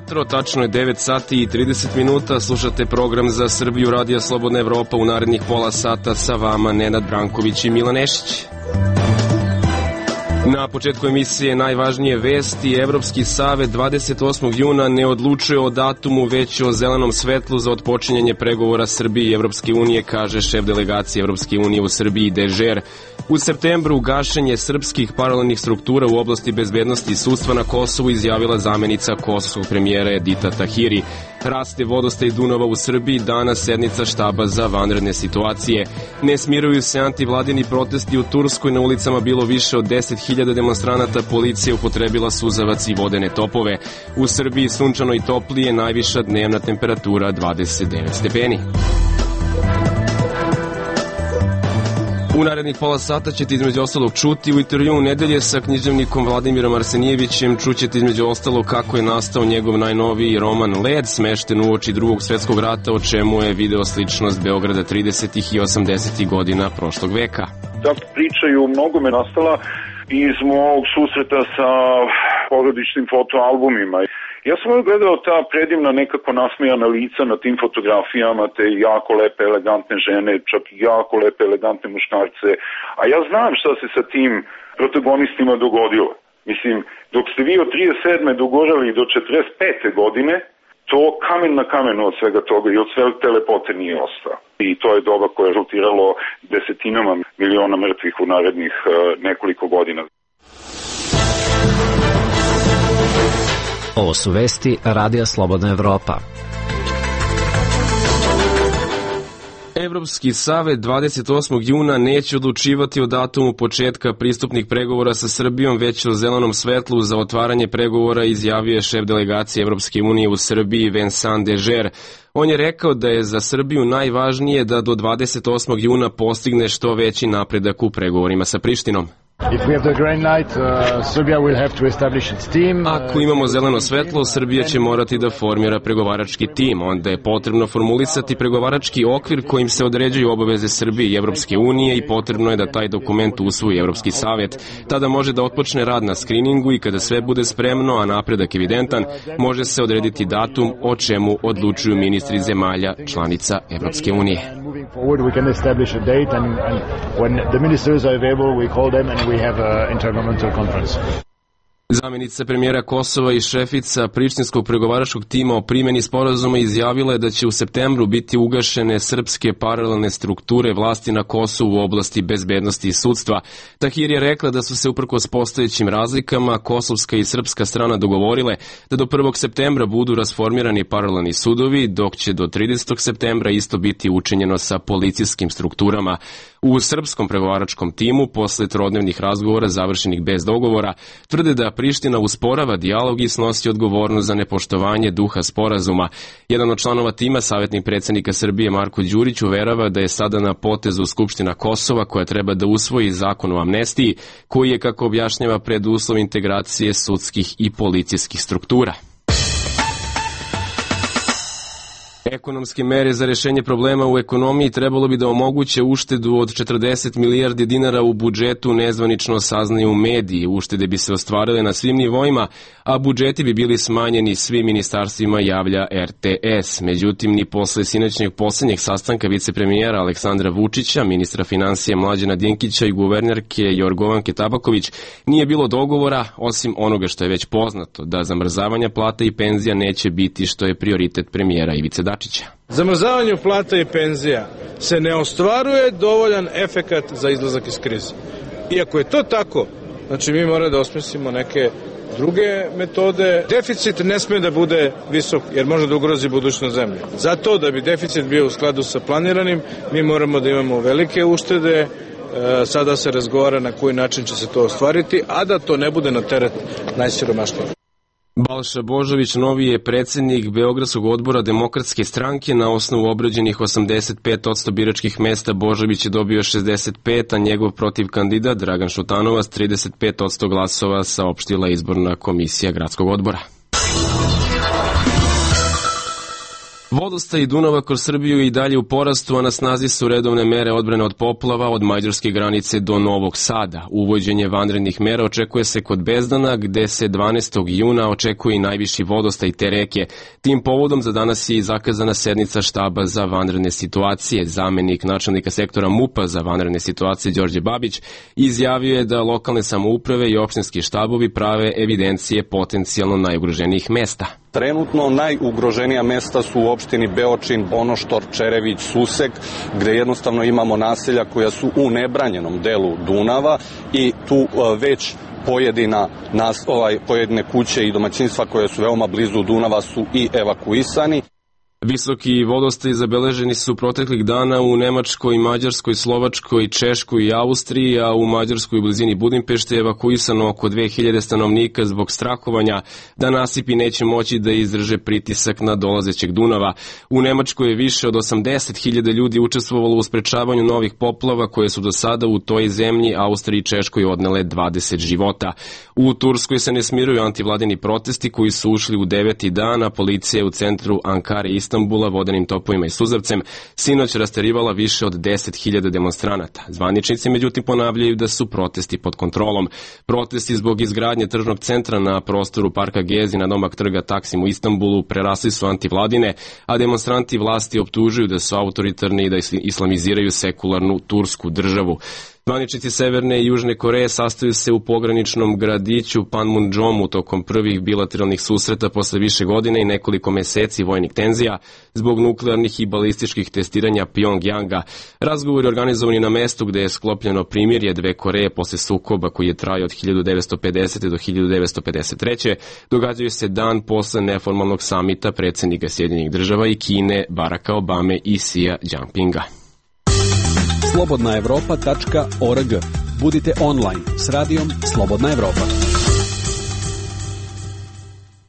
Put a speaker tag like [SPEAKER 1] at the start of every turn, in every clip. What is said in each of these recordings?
[SPEAKER 1] jutro, tačno je 9 sati i 30 minuta, slušate program za Srbiju Radija Slobodna Evropa u narednih pola sata, sa vama Nenad Branković i Milan Nešić. Na početku emisije najvažnije vesti. Evropski savet 28. juna ne odlučuje o datumu, već o zelenom svetlu za otpočinjanje pregovora Srbije i Evropske unije, kaže šef delegacije Evropske unije u Srbiji Dežer. U septembru gašenje srpskih paralelnih struktura u oblasti bezbednosti i sudstva na Kosovu, izjavila zamenica kosovskog premijera Edita Tahiri. Raste vodostaj Dunava u Srbiji, danas sednica štaba za vanredne situacije. Ne smiruju se antivladini protesti u Turskoj, na ulicama bilo više od 10.000 demonstranata, policija upotrebila suzavac i vodene topove. U Srbiji sunčano i toplije, najviša dnevna temperatura 29 stepeni. U narednih pola sata ćete između ostalog čuti u intervjuu nedelje sa književnikom Vladimirom Arsenijevićem. Čućete između ostalog kako je nastao njegov najnoviji roman Led, smešten uoči Drugog svetskog rata, o čemu je video sličnost Beograda 30. i 80. godina prošlog veka.
[SPEAKER 2] Ta priča je u mnogome nastala iz mog susreta sa porodičnim fotoalbumima. Ja sam gledao ta predivna nekako nasmejana lica na tim fotografijama, te jako lepe, elegantne žene, čak i jako lepe, elegantne muškarce. A ja znam šta se sa tim protagonistima dogodilo. Mislim, dok ste vi od 37. dogorali do 45. godine, to kamen na kamenu od svega toga i od sve te lepote nije ostao. I to je doba koje je rezultiralo desetinama miliona mrtvih u narednih nekoliko godina.
[SPEAKER 3] Ovo su vesti Radija Slobodna Evropa.
[SPEAKER 1] Evropski savet 28. juna neće odlučivati o datumu početka pristupnih pregovora sa Srbijom, već o zelenom svetlu za otvaranje pregovora, izjavio je šef delegacije Evropske unije u Srbiji Vincent Dežer. On je rekao da je za Srbiju najvažnije da do 28. juna postigne što veći napredak u pregovorima sa Prištinom. Ako imamo zeleno svetlo, Srbija će morati da formira pregovarački tim. Onda je potrebno formulisati pregovarački okvir kojim se određuju obaveze Srbije i Evropske unije i potrebno je da taj dokument usvoji Evropski savet. Tada može da otpočne rad na skriningu i kada sve bude spremno, a napredak evidentan, može se odrediti datum o čemu odlučuju ministri zemalja članica Evropske unije.
[SPEAKER 4] We have an intergovernmental conference.
[SPEAKER 1] Zamenica premijera Kosova i šefica prištinskog pregovaračkog tima o primjeni sporazuma izjavila je da će u septembru biti ugašene srpske paralelne strukture vlasti na Kosovu u oblasti bezbednosti i sudstva. Tahir je rekla da su se uprkos postojećim razlikama kosovska i srpska strana dogovorile da do 1. septembra budu rasformirani paralelni sudovi, dok će do 30. septembra isto biti učinjeno sa policijskim strukturama. U srpskom pregovaračkom timu, posle trodnevnih razgovora završenih bez dogovora, tvrde da Priština usporava dijalog i snosi odgovornost za nepoštovanje duha sporazuma. Jedan od članova tima, savjetnik predsjednika Srbije Marko Đurić, uverava da je sada na potezu Skupština Kosova koja treba da usvoji zakon o amnestiji, koji je, kako objašnjava, preduslov integracije sudskih i policijskih struktura. Ekonomske mere za rešenje problema u ekonomiji trebalo bi da omoguće uštedu od 40 milijardi dinara u budžetu, nezvanično saznaju mediji. Uštede bi se ostvarile na svim nivoima, a budžeti bi bili smanjeni svim ministarstvima, javlja RTS. Međutim, ni posle sinoćnjeg poslednjeg sastanka vicepremijera Aleksandra Vučića, ministra finansija Mlađana Dinkića i guvernerke Jorgovanke Tabaković nije bilo dogovora, osim onoga što je već poznato, da zamrzavanja plata i penzija neće biti, što je prioritet premijera Ivice Dačića.
[SPEAKER 5] Zamrzavanju plata i penzija se ne ostvaruje dovoljan efekat za izlazak iz krize. Iako je to tako, znači mi moramo da osmislimo neke druge metode. Deficit ne sme da bude visok jer može da ugrozi budućnost zemlje. Zato da bi deficit bio u skladu sa planiranim, mi moramo da imamo velike uštede. Sada se razgovara na koji način će se to ostvariti, a da to ne bude na teret najsiromašnijih.
[SPEAKER 1] Balša Božović novi je predsjednik Beogradskog odbora Demokratske stranke. Na osnovu obrađenih 85% biračkih mesta Božović je dobio 65, a njegov protiv kandidat Dragan Šutanovac 35% glasova, saopštila izborna komisija gradskog odbora. Vodostaj Dunava kroz Srbiju i dalje u porastu, a na snazi su redovne mere odbrane od poplava od mađarske granice do Novog Sada. Uvođenje vanrednih mera očekuje se kod Bezdana, gde se 12. juna očekuje i najviši vodostaj te reke. Tim povodom za danas je i zakazana sednica štaba za vanredne situacije. Zamenik načelnika sektora MUP-a za vanredne situacije Đorđe Babić izjavio je da lokalne samouprave i opštinski štabovi prave evidencije potencijalno najugroženijih mesta.
[SPEAKER 6] Trenutno najugroženija mesta su u opštini Beočin, Bonoštor, Čerević, Susek, gde jednostavno imamo naselja koja su u nebranjenom delu Dunava i tu već pojedine kuće i domaćinstva koje su veoma blizu Dunava su i evakuisani.
[SPEAKER 1] Visoki vodostaj zabeleženi su proteklih dana u Nemačkoj, Mađarskoj, Slovačkoj, Češkoj i Austriji, a u Mađarskoj u blizini Budimpešte je evakuisano oko 2000 stanovnika zbog strahovanja da nasipi neće moći da izdrže pritisak na dolazećeg Dunava. U Nemačkoj je više od 80.000 ljudi učestvovalo u sprečavanju novih poplava koje su do sada u toj zemlji, Austriji i Češkoj odnele 20 života. U Turskoj se ne smiruju antivladini protesti koji su ušli u 9. dan, a policija je u centru Ankare i Istanbula vodenim topovima i suzavcem sinoć rasterivala više od 10.000 demonstranata. Zvaničnici međutim ponavljaju da su protesti pod kontrolom. Protesti zbog izgradnje tržnog centra na prostoru parka Gezi na domak trga Taksim u Istanbulu prerasli su antivladine, a demonstranti vlasti optužuju da su autoritarni i da islamiziraju sekularnu tursku državu. Zvaničnici Severne i Južne Koreje sastaju se u pograničnom gradiću Panmunjomu tokom prvih bilateralnih susreta posle više godine i nekoliko meseci vojnih tenzija zbog nuklearnih i balističkih testiranja Pjongjanga. Razgovor je organizovan na mestu gde je sklopljeno primirje dve Koreje posle sukoba koji je trajao od 1950. do 1953. Događaju se dan posle neformalnog samita predsjednika Sjedinjenih država i Kine Baracka Obame i Xija Jinpinga.
[SPEAKER 7] slobodnaevropa.org. Budite online s radijom Slobodna Evropa.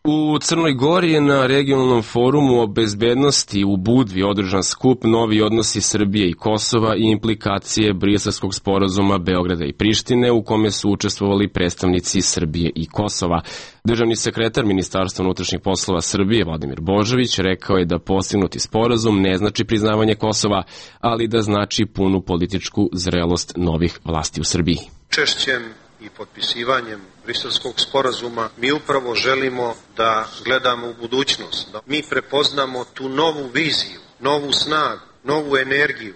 [SPEAKER 1] U Crnoj Gori je na regionalnom forumu o bezbednosti u Budvi održan skup Novi odnosi Srbije i Kosova i implikacije Briselskog sporazuma Beograda i Prištine, u kome su učestvovali predstavnici Srbije i Kosova. Državni sekretar Ministarstva unutrašnjih poslova Srbije Vladimir Božović rekao je da postignuti sporazum ne znači priznavanje Kosova, ali da znači punu političku zrelost novih vlasti u Srbiji.
[SPEAKER 8] Češćem i potpisivanjem Briselskog sporazuma mi upravo želimo da gledamo u budućnost, da mi prepoznamo tu novu viziju, novu snagu, novu energiju,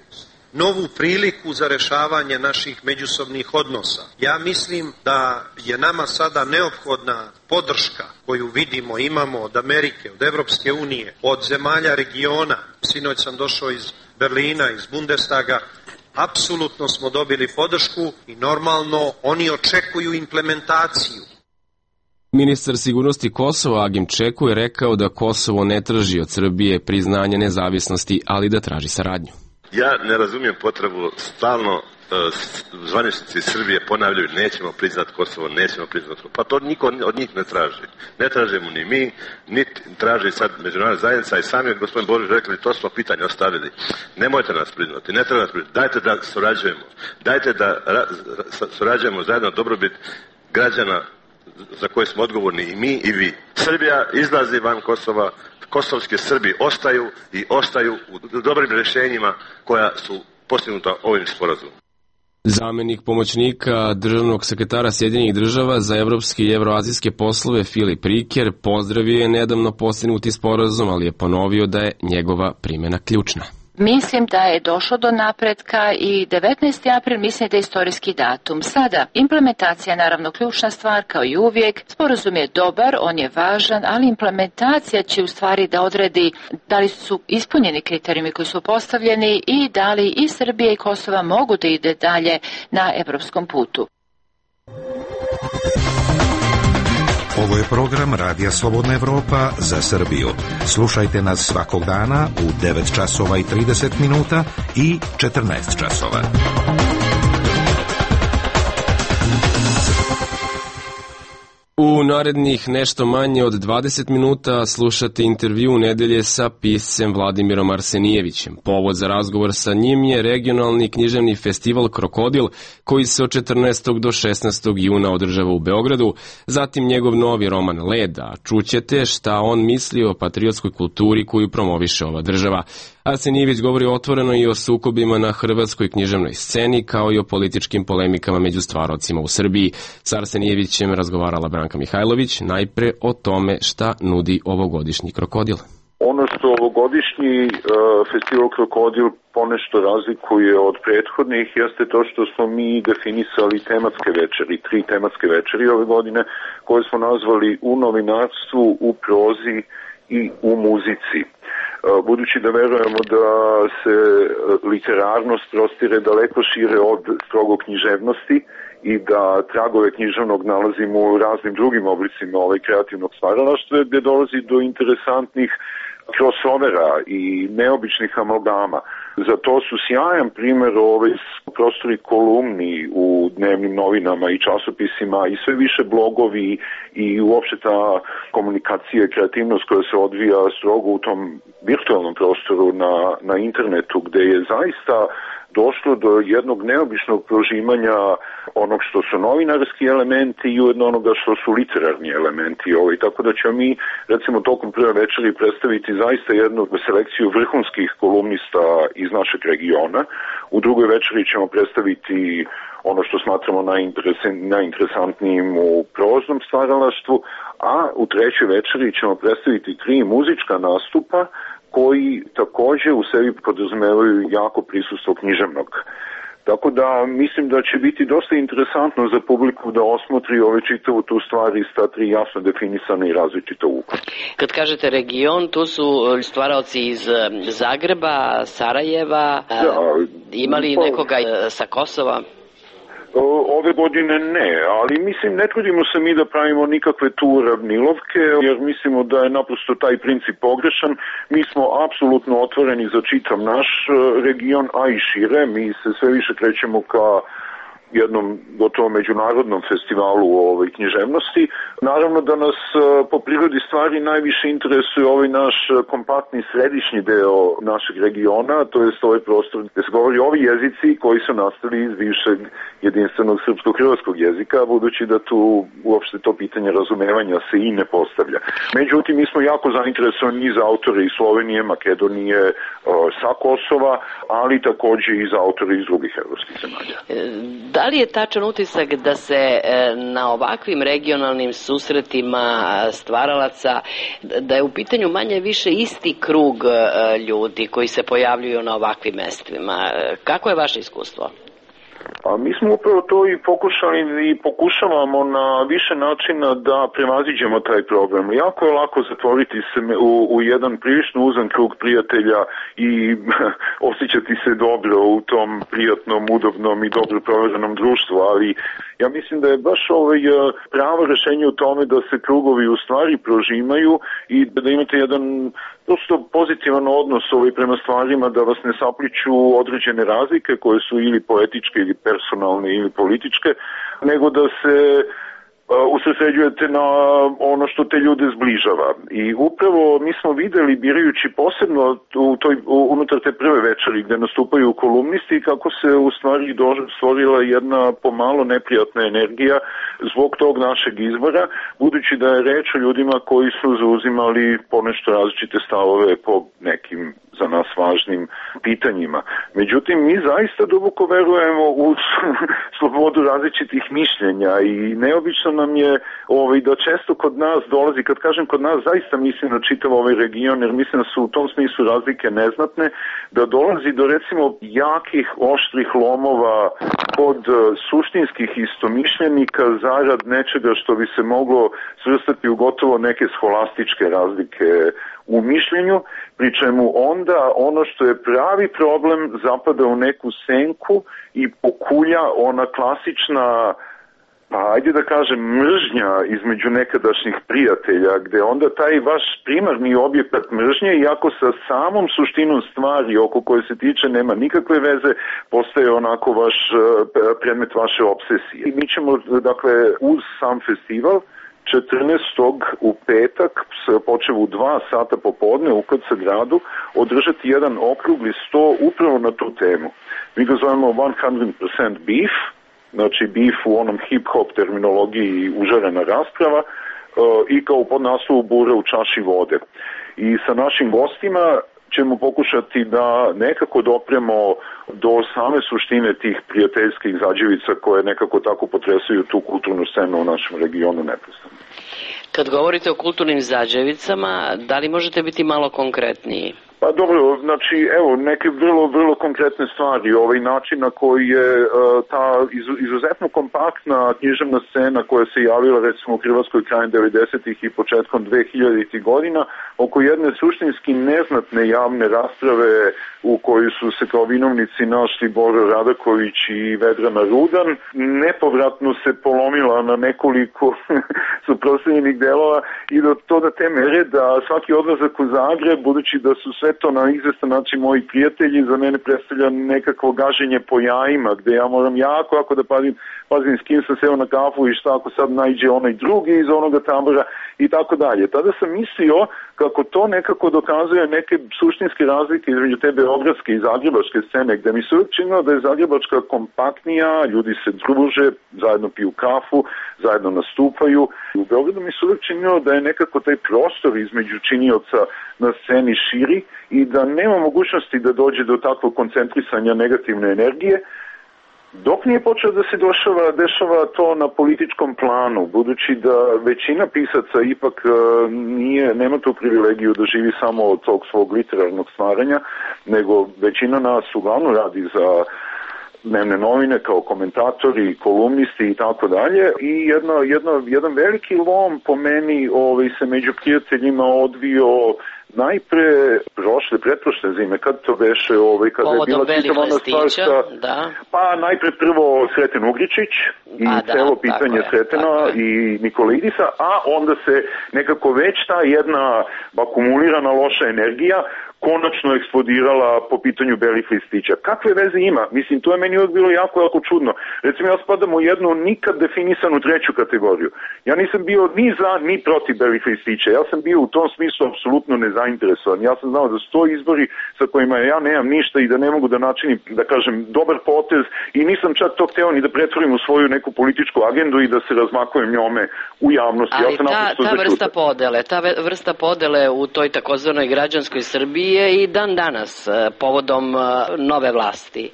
[SPEAKER 8] novu priliku za rešavanje naših međusobnih odnosa. Ja mislim da je nama sada neophodna podrška koju vidimo, imamo od Amerike, od Evropske unije, od zemalja regiona. Sinoć sam došao iz Berlina, iz Bundestaga. Apsolutno smo dobili podršku i normalno oni očekuju implementaciju.
[SPEAKER 1] Ministar sigurnosti Kosova Agim Čeku je rekao da Kosovo ne traži od Srbije priznanje nezavisnosti, ali da traži saradnju.
[SPEAKER 9] Ja ne razumijem potrebu stalno zvaničnici Srbije ponavljaju nećemo priznati Kosovo, nećemo priznati Kosovo. Pa to niko od njih ne traži. Ne tražimo ni mi, niti traži sad međunarodna zajednica i sami gospodin Božić rekli to smo pitanje ostavili. Nemojte nas priznati, ne treba nas priznati. Dajte da surađujemo. Dajte da surađujemo zajedno dobrobit građana za koje smo odgovorni i mi i vi. Srbija izlazi van Kosova, kosovski Srbi ostaju u dobrim rješenjima koja su postignuta ovim sporazumom.
[SPEAKER 1] Zamenik pomoćnika državnog sekretara Sjedinjenih država za evropske i evroazijske poslove Filip Riker pozdravio je nedavno postignuti sporazum, ali je ponovio da je njegova primjena ključna.
[SPEAKER 10] Mislim da je došlo do napretka i 19. april mislim da je istorijski datum. Sada, implementacija je naravno ključna stvar kao i uvijek. Sporazum je dobar, on je važan, ali implementacija će u stvari da odredi da li su ispunjeni kriterijumi koji su postavljeni i da li i Srbija i Kosova mogu da ide dalje na evropskom putu.
[SPEAKER 11] Ovo je program Radija Slobodna Evropa za Srbiju. Slušajte nas svakog dana u 9 časova i 30 minuta i 14 časova.
[SPEAKER 1] U narednih nešto manje od 20 minuta slušate intervju nedelje sa piscem Vladimirom Arsenijevićem. Povod za razgovor sa njim je regionalni književni festival Krokodil, koji se od 14. do 16. juna održava u Beogradu, zatim njegov novi roman Leda. Čućete šta on misli o patriotskoj kulturi koju promoviše ova država. Arsenijević govori otvoreno i o sukobima na hrvatskoj književnoj sceni, kao i o političkim polemikama među stvarocima u Srbiji. S Arsenijevićem razgovarala Branka Mihajlović, najpre o tome šta nudi ovogodišnji Krokodil.
[SPEAKER 2] Ono što ovogodišnji festival Krokodil ponešto razlikuje od prethodnih jeste to što smo mi definisali tematske večeri, 3 tematske večeri ove godine, koje smo nazvali u novinarstvu, u prozi i u muzici. Budući da verujemo da se literarnost prostire daleko šire od strogo književnosti i da tragove književnog nalazimo u raznim drugim oblicima kreativnog stvaralaštva, gde dolazi do interesantnih crossovera i neobičnih amalgama. Za to su sjajan primjer prostori kolumni u dnevnim novinama i časopisima i sve više blogovi i uopšte ta komunikacija i kreativnost koja se odvija strogo u tom virtualnom prostoru na internetu, gde je zaista došlo do jednog neobičnog prožimanja onog što su novinarski elementi i ujedno onoga što su literarni elementi. Tako da ćemo mi, recimo, tokom prve večeri predstaviti zaista jednu selekciju vrhunskih kolumnista iz našeg regiona. U drugoj večeri ćemo predstaviti ono što smatramo najinteresantnijim u proznom stvaralaštvu, a u trećoj večeri ćemo predstaviti 3 muzička nastupa koji takođe u sebi podrazumevaju jako prisustvo književnog. Tako da mislim da će biti dosta interesantno za publiku da osmotri čitavu tu stvar iz ta 3 jasno definisane i različita ugla.
[SPEAKER 12] Kad kažete region, tu su stvaraoci iz Zagreba, Sarajeva, imali nekoga sa Kosova?
[SPEAKER 2] Ove godine ne, ali mislim ne trudimo se mi da pravimo nikakve tu uravnilovke, jer mislimo da je naprosto taj princip pogrešan. Mi smo apsolutno otvoreni za čitav naš region, a i šire. Mi se sve više krećemo ka jednom gotovo međunarodnom festivalu književnosti. Naravno da nas po prirodi stvari najviše interesuje naš kompaktni središnji deo našeg regiona, to jest prostor gde se govori ovi jezici koji su nastali iz bivšeg jedinstvenog srpsko-hrvatskog jezika, budući da tu uopšte to pitanje razumevanja se i ne postavlja. Međutim, mi smo jako zainteresovani i za autore iz Slovenije, Makedonije, sa Kosova, ali takođe i za autore iz drugih evropskih zemalja.
[SPEAKER 12] Da li je tačan utisak da se na ovakvim regionalnim susretima stvaralaca, da je u pitanju manje više isti krug ljudi koji se pojavljuju na ovakvim mestima? Kako je vaše iskustvo?
[SPEAKER 2] A mi smo upravo to i pokušali i pokušavamo na više načina da prevaziđemo taj problem. Jako je lako zatvoriti se u jedan prilično uzan krug prijatelja i osjećati se dobro u tom prijatnom, udobnom i dobro proverenom društvu, ali ja mislim da je baš pravo rešenje u tome da se krugovi u stvari prožimaju i da imate jedan prosto pozitivan odnos prema stvarima, da vas ne sapliću određene razlike koje su ili poetičke ili personalne ili političke, nego da se usredsređujete na ono što te ljude zbližava. I upravo mi smo videli, birajući posebno unutar te prve večeri gde nastupaju kolumnisti, kako se u stvari stvorila jedna pomalo neprijatna energija zbog tog našeg izbora, budući da je reč o ljudima koji su zauzimali ponešto različite stavove po nekim za nas važnim pitanjima. Međutim, mi zaista duboko verujemo u slobodu različitih mišljenja i neobično nam je da često kod nas dolazi, kad kažem kod nas, zaista mislim na čitav ovaj region, jer mislim da su u tom smislu razlike neznatne, da dolazi do recimo jakih, oštrih lomova kod suštinskih istomišljenika zarad nečega što bi se moglo svrstati u gotovo neke scholastičke razlike u mišljenju, pri čemu onda ono što je pravi problem zapada u neku senku i pokulja ona klasična, ajde da kažem, mržnja između nekadašnjih prijatelja, gde onda taj vaš primarni objekat mržnje, iako sa samom suštinom stvari oko koje se tiče nema nikakve veze, postaje onako vaš predmet vaše obsesije. I mi ćemo, dakle, uz sam festival 14. u petak, počeo u 2 sata popodne u KC gradu, održati jedan okrugli sto upravo na tu temu. Mi ga zovemo 100% beef, znači beef u onom hip-hop terminologiji užarena rasprava, i kao podnaslovu bure u čaši vode. I sa našim gostima ćemo pokušati da nekako dopremo do same suštine tih prijateljskih zađevica koje nekako tako potresaju tu kulturnu scenu u našem regionu neprestano.
[SPEAKER 12] Kad govorite o kulturnim zađevicama, da li možete biti malo konkretniji?
[SPEAKER 2] Pa dobro, znači evo neke vrlo konkretne stvari, ovaj način na koji je ta izuzetno kompaktna književna scena koja se javila recimo u Hrvatskoj krajem 90-ih i početkom 2000-ih godina oko jedne suštinski neznatne javne rasprave u kojoj su se kao vinovnici našli Boro Radaković i Vedrana Rudan, nepovratno se polomila na nekoliko suprotstavljenih delova i do te mere da svaki odlazak u Zagreb, budući da su sve to na izvestan način moji prijatelji, za mene predstavlja nekakvo gaženje po jajima, gde ja moram jako da pazim s kim sam seo na kafu i šta ako sad najđe onaj drugi iz onoga tabora i tako dalje. Tada sam mislio kako to nekako dokazuje neke suštinske razlike između te beogradske i zagrebačke scene, gde mi se uvijek činilo da je zagrebačka kompaktnija, ljudi se druže, zajedno piju kafu, zajedno nastupaju. U Beogradu mi se uvijek činilo da je nekako taj prostor između činioca na sceni širi i da nema mogućnosti da dođe do takvog koncentrisanja negativne energije, dok nije počeo da se dešava to na političkom planu, budući da većina pisaca ipak nema tu privilegiju da živi samo od tog svog literarnog stvaranja, nego većina nas uglavnom radi za dnevne novine kao komentatori, kolumnisti i tako dalje. I jedan veliki lom po meni se među prijateljima odvio najpre pretprošle zime, kad to beše, kada je bila čitava ona stvar pa najpre prvo Sreten Ugričić i celo pitanje Sretena i Nikolidisa, a onda se nekako već ta jedna akumulirana loša energija konačno eksplodirala po pitanju belih listića. Kakve veze ima? Mislim, to je meni uvijek bilo jako čudno. Recimo, ja spadam u jednu nikad definisanu treću kategoriju. Ja nisam bio ni za, ni protiv belih listića. Ja sam bio u tom smislu apsolutno nezainteresovan. Ja sam znao da su to izbori sa kojima ja nemam ništa i da ne mogu da načinim, da kažem, dobar potez i nisam čak to hteo ni da pretvorim u svoju neku političku agendu i da se razmakujem njome u javnosti.
[SPEAKER 12] Ali ta vrsta podele u toj takozvanoj građanskoj Srbiji je i dan danas povodom nove vlasti.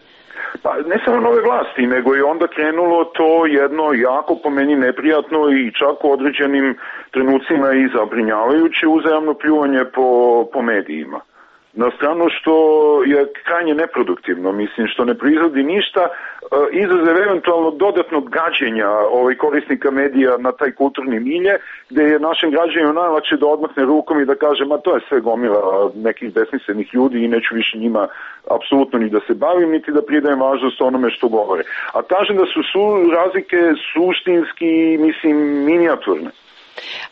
[SPEAKER 2] Pa ne samo nove vlasti, nego je onda krenulo to jedno jako po meni neprijatno i čak u određenim trenucima i zabrinjavajuće uzajamno pljuvanje po medijima. Na stranu što je krajnje neproduktivno, mislim, što ne proizvodi ništa, izuzev eventualno dodatnog gađenja korisnika medija na taj kulturni milje, gde je našem građanima najlakše da odmahne rukom i da kaže, ma to je sve gomila nekih besmislenih ljudi i neću više njima apsolutno ni da se bavim, niti da pridajem važnost onome što govore. A kažem da su razlike suštinski, mislim, minijaturne.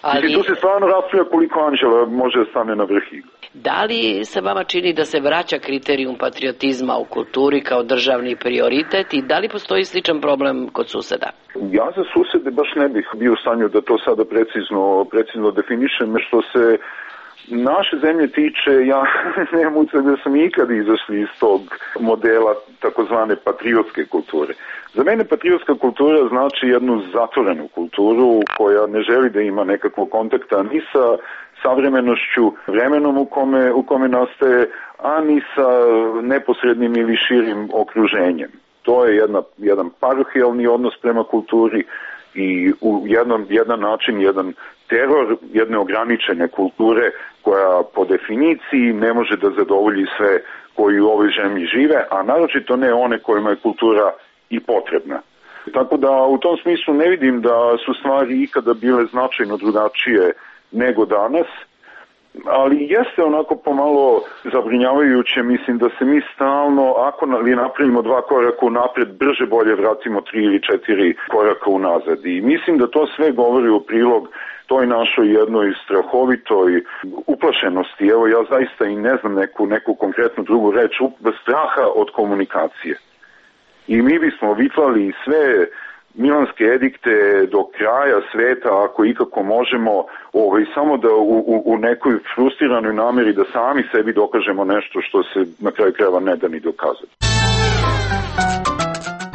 [SPEAKER 2] Ali tu se stvarno raspravlja koliko anđela može da stane na vrh igre.
[SPEAKER 12] Da li se vama čini da se vraća kriterijum patriotizma u kulturi kao državni prioritet i da li postoji sličan problem kod suseda?
[SPEAKER 2] Ja za susede baš ne bih bio u stanju da to sada precizno definišem, što se naše zemlje tiče, ja nemam utisak da sam ikad izašli iz tog modela takozvane patriotske kulture. Za mene patriotska kultura znači jednu zatvorenu kulturu koja ne želi da ima nekakvog kontakta ni sa savremenošću, vremenom u kome nastaje, a ni sa neposrednim ili širim okruženjem. To je jedan parohijalni odnos prema kulturi i jedan način, jedan teror jedne ograničene kulture koja po definiciji ne može da zadovolji sve koji u ovoj zemlji žive, a naročito ne one kojima je kultura i potrebna. Tako da u tom smislu ne vidim da su stvari ikada bile značajno drugačije nego danas, ali jeste onako pomalo zabrinjavajuće, mislim da se mi stalno, ako napravimo 2 koraka unapred, brže bolje vratimo 3 ili 4 koraka unazad. I mislim da to sve govori u prilog toj našoj jednoj strahovitoj uplašenosti. Evo, ja zaista i ne znam neku konkretnu drugu reč, straha od komunikacije. I mi bismo vitlali sve milanske edikte do kraja sveta, ako ikako možemo, samo da u nekoj frustriranoj nameri da sami sebi dokažemo nešto što se na kraju krajeva ne da ni dokazati.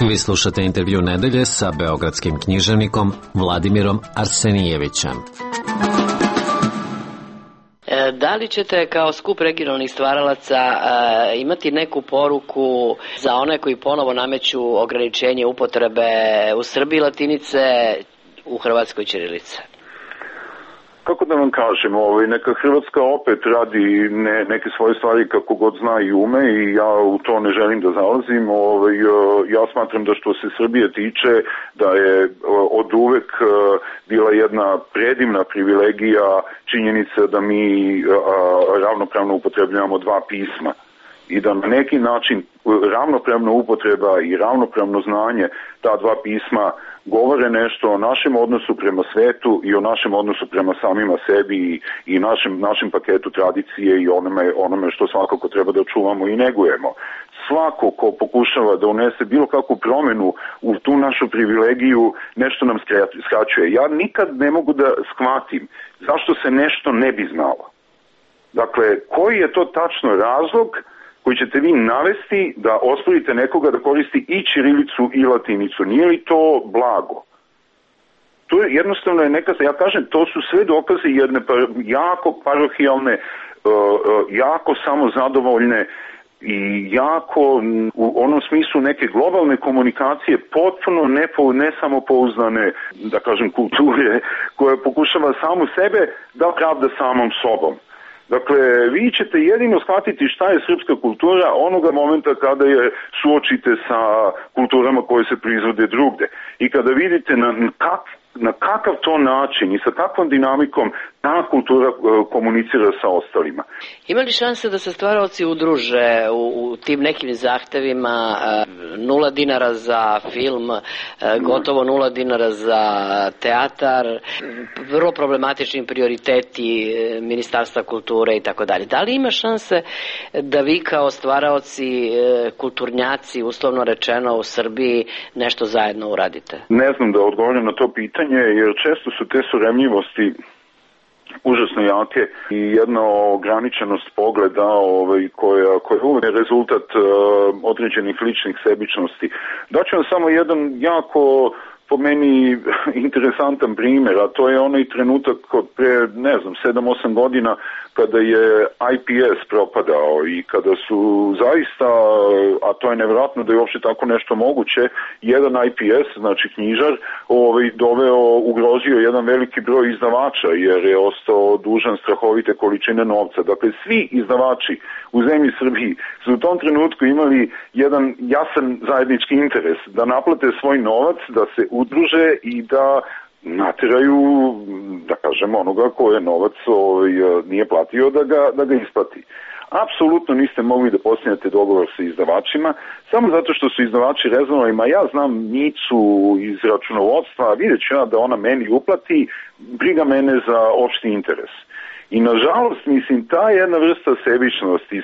[SPEAKER 3] Vi slušate intervju nedelje sa beogradskim književnikom Vladimirom Arsenijevićem.
[SPEAKER 12] Da li ćete kao skup regionalnih stvaralaca imati neku poruku za one koji ponovo nameću ograničenje upotrebe u Srbiji latinice, u Hrvatskoj ćirilice?
[SPEAKER 2] Kako da vam kažem, neka Hrvatska opet radi neke svoje stvari kako god zna i ume i ja u to ne želim da zalazim. Ja smatram da što se Srbije tiče da je od uvek bila jedna predivna privilegija činjenica da mi ravnopravno upotrebljavamo dva pisma i da na neki način ravnopravna upotreba i ravnopravno znanje ta dva pisma govore nešto o našem odnosu prema svetu i o našem odnosu prema samima sebi i našem paketu tradicije i onome što svakako treba da čuvamo i negujemo. Svako ko pokušava da unese bilo kakvu promenu u tu našu privilegiju, nešto nam skraćuje. Ja nikad ne mogu da shvatim zašto se nešto ne bi znalo. Dakle, koji je to tačno razlog koji ćete vi navesti da osporite nekoga da koristi i ćirilicu i latinicu? Nije li to blago? To je jednostavno ja kažem, to su sve dokaze jedne jako parohijalne, jako samozadovoljne i jako u onom smislu neke globalne komunikacije potpuno ne samopouzdane, da kažem, kulture koja pokušava samu sebe da pravda samom sobom. Dakle, vi ćete jedino shvatiti šta je srpska kultura onoga momenta kada je suočite sa kulturama koje se proizvode drugde. I kada vidite na kakav to način i sa kakvom dinamikom ta kultura komunicira sa ostalima.
[SPEAKER 12] Ima li šanse da se stvaraoci udruže u tim nekim zahtevima, 0 dinara za film, gotovo 0 dinara za teatar, vrlo problematični prioriteti Ministarstva kulture i tako dalje? Da li ima šanse da vi kao stvaraoci, kulturnjaci, uslovno rečeno u Srbiji, nešto zajedno uradite?
[SPEAKER 2] Ne znam da odgovorim na to pitanje, jer često su te suremljivosti užasno jake i jedna ograničenost pogleda koja je uvek rezultat određenih ličnih sebičnosti. Daću vam samo jedan jako po meni interesantan primjer, a to je onaj trenutak od pre, 7-8 godina kada je IPS propadao i kada su zaista, a to je nevjerojatno da je uopšte tako nešto moguće, jedan IPS, znači knjižar, ugrozio jedan veliki broj izdavača jer je ostao dužan strahovite količine novca. Dakle, svi izdavači u zemlji Srbiji su u tom trenutku imali jedan jasan zajednički interes da naplate svoj novac, da se udruže i da nateraju, da kažem, onoga ko je novac nije platio da ga isplati. Apsolutno niste mogli da postignete dogovor sa izdavačima, samo zato što su izdavači rezovali, ja znam Micu iz računovodstva, vidjet ću ja da ona meni uplati, briga mene za opšti interes. I nažalost, mislim, ta jedna vrsta sebičnosti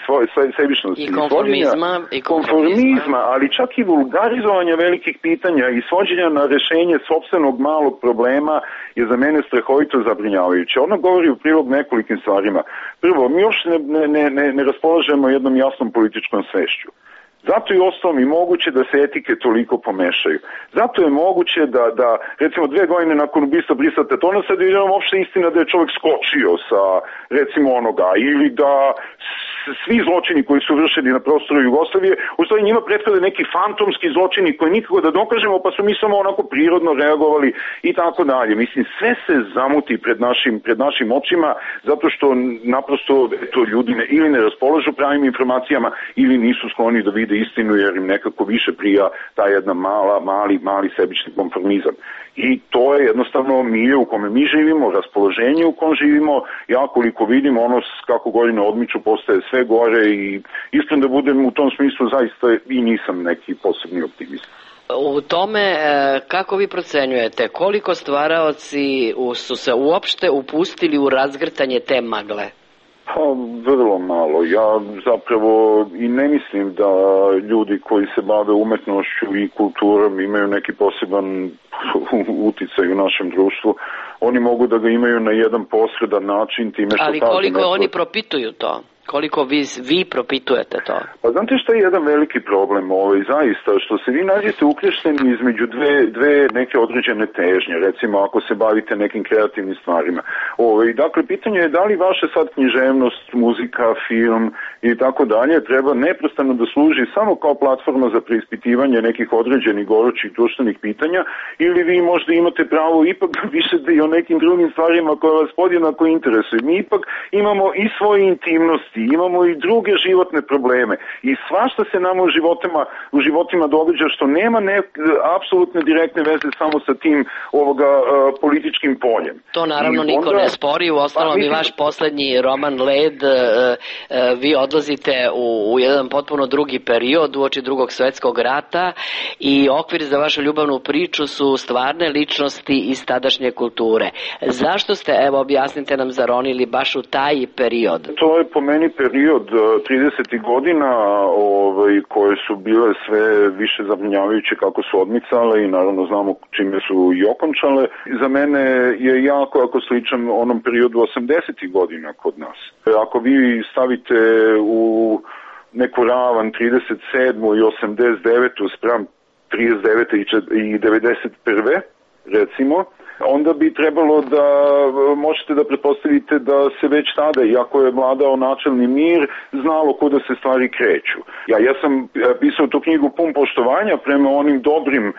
[SPEAKER 12] i konformizma,
[SPEAKER 2] ali čak i vulgarizovanja velikih pitanja i svođenja na rešenje sopstvenog malog problema je za mene strahovito zabrinjavajuće. Ona govori u prilog nekolikim stvarima. Prvo, mi još ne raspolažemo jednom jasnom političkom svešću. Zato je ostalom i moguće da se etike toliko pomešaju. Zato je moguće da recimo 2 godine nakon ubistva Brisa Tetona sad vidimo uopšte istina da je čovjek skočio sa recimo onoga ili da svi zločini koji su vršeni na prostoru Jugoslavije, u stvari njima prethode neki fantomski zločini koji nikako da dokažemo, pa su mi samo onako prirodno reagovali i tako dalje. Mislim, sve se zamuti pred našim očima zato što naprosto ljudi ili ne raspolažu pravim informacijama ili nisu skloni da vide istinu jer im nekako više prija ta jedna mali sebični konformizam. I to je jednostavno milje u kome mi živimo, raspoloženje u kom živimo. Ja koliko vidim, kako godine odmiču postaje sve gore i iskren da budem u tom smislu zaista i nisam neki posebni optimist.
[SPEAKER 12] U tome, kako vi procenjujete, koliko stvaraoci su se uopšte upustili u razgrtanje te magle?
[SPEAKER 2] Pa, vrlo malo. Ja zapravo i ne mislim da ljudi koji se bave umetnošću i kulturom imaju neki poseban uticaj u našem društvu. Oni mogu da ga imaju na jedan posredan način time što...
[SPEAKER 12] Ali koliko oni propituju to? Koliko vi propitujete to?
[SPEAKER 2] Pa znate što je jedan veliki problem zaista, što se vi nađete uključeni između dve neke određene težnje, recimo ako se bavite nekim kreativnim stvarima. Dakle, pitanje je da li vaša sad književnost, muzika, film i tako dalje treba neprestano da služi samo kao platforma za preispitivanje nekih određenih gorućih društvenih pitanja, ili vi možda imate pravo ipak da pišete i o nekim drugim stvarima koje vas podjednako interesuju. Mi ipak imamo i svoje intimnosti, imamo i druge životne probleme i svašta se nama u životima događa što nema apsolutne direktne veze samo sa tim političkim poljem.
[SPEAKER 12] To naravno niko ne spori, u ostalom i vaš poslednji roman Led, vi odlazite u jedan potpuno drugi period uoči Drugog svetskog rata i okvir za vašu ljubavnu priču su stvarne ličnosti iz tadašnje kulture. Zašto ste, evo objasnite nam, zaronili baš u taj period?
[SPEAKER 2] To je po meni period 30. godina koje su bile sve više zabrinjavajuće kako su odmicale i naravno znamo čime su i okončale. Za mene je jako sličan onom periodu 80. godina kod nas. Ako vi stavite u neku ravan 37. i 89. spram 39. i 91. recimo, onda bi trebalo da možete da pretpostavite da se već tada, iako je vladao načelni mir, znalo kuda se stvari kreću. Ja sam pisao tu knjigu pun poštovanja prema onim dobrim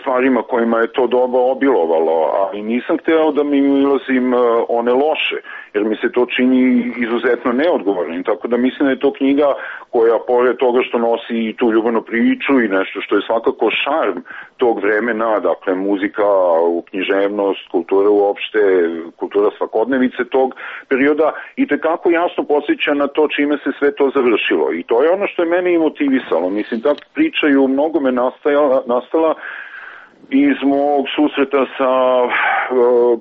[SPEAKER 2] stvarima kojima je to doba obilovalo, ali nisam hteo da mi ulazim one loše, jer mi se to čini izuzetno neodgovornim, tako da mislim da je to knjiga koja, pored toga što nosi i tu ljubavnu priču i nešto što je svakako šarm tog vremena, dakle muzika, književnost, kultura uopšte, kultura svakodnevice tog perioda, i tekako jasno podsjeća na to čime se sve to završilo. I to je ono što je mene i motivisalo. Mislim, ta priča je u mnogome nastala iz mog susreta sa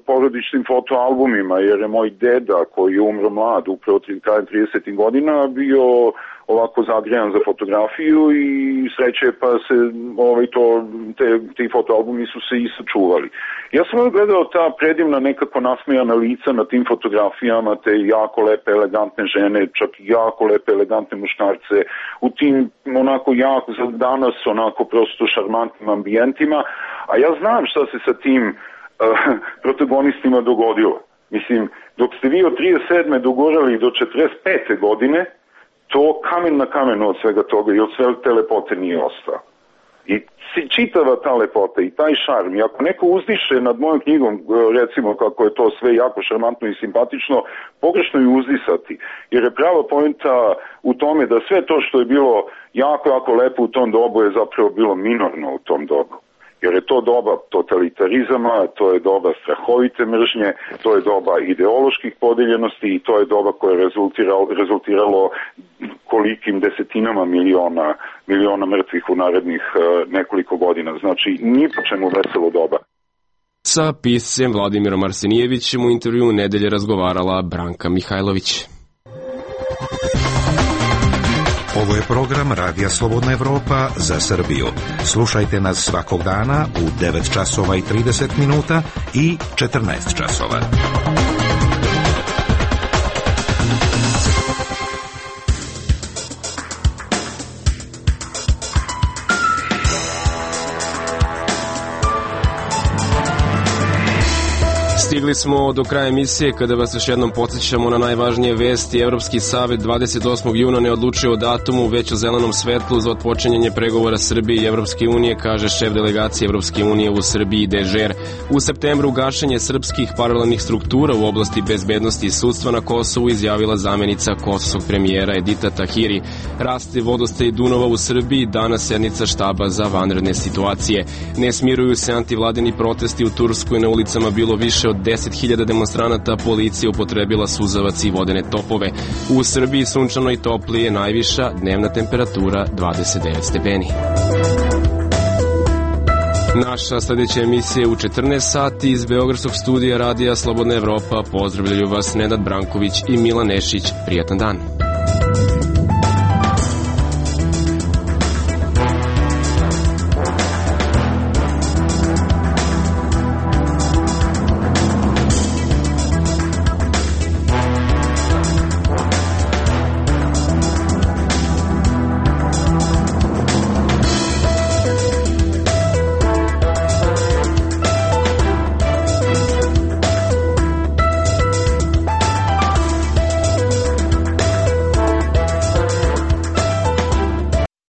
[SPEAKER 2] porodičnim fotoalbumima, jer je moj deda, koji je umro mlad, upravo krajem 30. godina, bio ovako zagrejan za fotografiju i sreće pa se ti fotoalbumi su se i sačuvali. Ja sam gledao ta predivna nekako nasmejana lica na tim fotografijama, te jako lepe elegantne žene, čak i jako lepe elegantne muškarce u tim onako jako za danas onako prosto šarmantnim ambijentima, a ja znam šta se sa tim protagonistima dogodilo. Mislim, dok ste vi od 37. dogorali do 45. godine, to kamen na kamenu od svega toga i od sve te lepote nije ostao. I čitava ta lepota i taj šarm, i ako neko uzdiše nad mojom knjigom, recimo kako je to sve jako šarmantno i simpatično, pogrešno je uzdisati, jer je prava poenta u tome da sve to što je bilo jako lepo u tom dobu je zapravo bilo minorno u tom dobu. Jer je to doba totalitarizama, to je doba strahovite mržnje, to je doba ideoloških podeljenosti i to je doba koje je rezultiralo kolikim desetinama miliona mrtvih u narednih nekoliko godina. Znači, ni po čemu veselo doba.
[SPEAKER 1] Sa piscem Vladimirom Arsenijevićem u intervju nedelje razgovarala Branka Mihajlović.
[SPEAKER 11] Ovo je program Radija Slobodna Evropa za Srbiju. Slušajte nas svakog dana u 9 časova i 30 minuta i 14 časova.
[SPEAKER 1] Stigli smo do kraja emisije kada vas još jednom podsjećamo na najvažnije vesti. Evropski savet 28. juna ne odlučio o datumu, već o zelenom svetlu za otpočinjanje pregovora Srbije i Evropske unije, kaže šef delegacije Evropske unije u Srbiji Dežer. U septembru gašenje srpskih paralelnih struktura u oblasti bezbednosti i sudstva na Kosovu, izjavila zamenica kosovskog premijera Edita Tahiri. Raste vodostaj Dunava u Srbiji, danas sednica štaba za vanredne situacije. Ne smiruju se antivladini protesti u Turskoj, na ulicama bilo više od 10.000 demonstranata, policija upotrebila suzavac i vodene topove. U Srbiji sunčano i toplije, najviša dnevna temperatura 29 stepeni. Naša sledeća emisija je u 14 sati iz Beogradskog studija Radija Slobodna Evropa. Pozdravljaju vas Nenad Branković i Milan Nešić. Prijatan dan.